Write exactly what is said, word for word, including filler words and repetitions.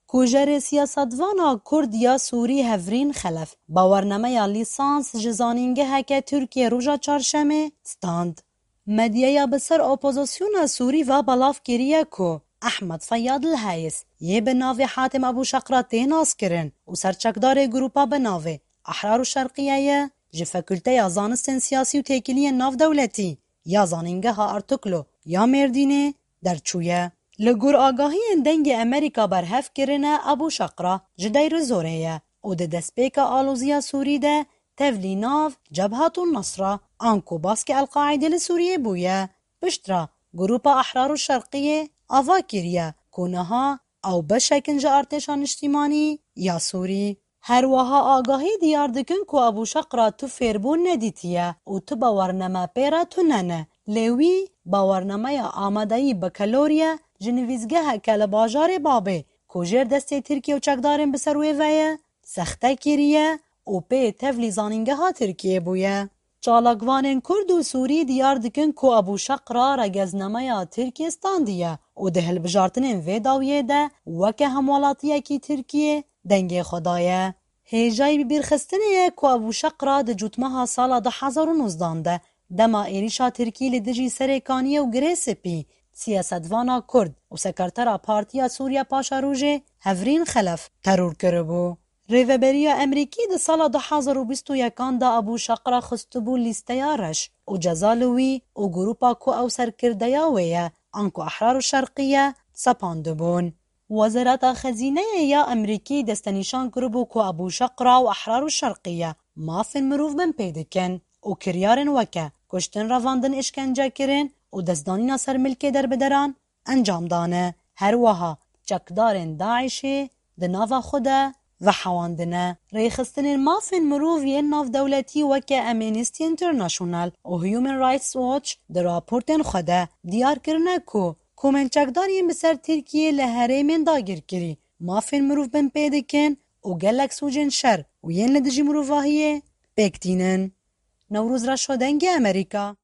Kujerê siyasetvana Kurd ya Sûrî Hevrîn Xelef bawernameya lîsans ji zanîngeheke Tirkiyê roja Çarşemê stand. Medyaya bi ser opozisyona Sûrî ve belav kiriye ku Ehmed Feyyad Lheyis yê bi navê Hatim Ebû Şeqra tê naskirin û serçekdarê grupa bi navê Ahrar û Şerqiye ye, ji Fakulteya Zanistên Siyasî û Têkiliyên Navdewletî ya Zanîngeha Artuklu ya Mêrdînê derçûye. Li gor agahiyên Dengê Emerîka berhev kirine, Ebû Şeqra ji Deyrîzorê ye û di destpêka aloziya Sûrî de tevlî nav Cebhatun Nasra, anku baskê El-Qaîdê li Sûriyê bûye. Piştre grupa Ahrar û Şerqiyê ava kiriye ku niha ew beşek in ji artêşa niştîmanî ya Sûrî. Her wiha agahî diyar dikin ku Ebû Şeqra tu fêrbûn nedîtiye û tu bawername pê re tune ne. Lê wî bawernameya amadeyî bakaloriye ji nivîsgeheke li bajarê Babê ku jêr destê Tirkiye û çekdarên bi ser wê ve ye, sexte kiriye û pê tevlî zanîngeha Tirkiyê bûye. Çalakvanên Kurd û Sûrî diyar dikin ku Ebû Şeqra regeznameya Tirkiyê standiye û di hilbijartinên vê dawiyê de weke hemwelatiyekî Tirkiyê dengê xwe daye. Hêjayî bibîrxistinê ye ku Ebû Şeqra di cotmeha sala du hezar û nozdan de dema êrîşa Tirkî li dijî Serê Kaniyê û Girê Spî siyasetvana Kurd û sekretera Partiya Sûriya Paşerojê Hevrîn Xelef teror kiribû. Rêveberiya Emerîkî di sala du hezar û bîst û yekan de Ebû Şeqra xistibû lîsteya reş û ceza li wî û grupa ku ew serkirdeya wê ye, anku Ehrar û Şerqiye, sepandibûn. Wezareta Xezîneyê ya Emerîkî destenîşan kiribû ku Ebû Şeqra û Ehrar û Şerqiye mafên mirov binpê dikin û kiryarên weke kuştin, revandin, îşkencekirin û destdanîna ser milkê derbideran encam dane. Her wiha çekdarên DAIŞê di nava xwe de vehewandine. Rêxistinên mafên mirov yên navdewletî weke Amnesty International û Human Rights Watch di raportên xwe de diyar kirine ku komên çekdar yên bi ser Tirkiyê li herêmên dagirkirî mafên mirov binpê dikin û gelek sûcên şer û yên li dijî mirovahiyê pêk tînin. Newroz Reşo, Dengê Emerîka.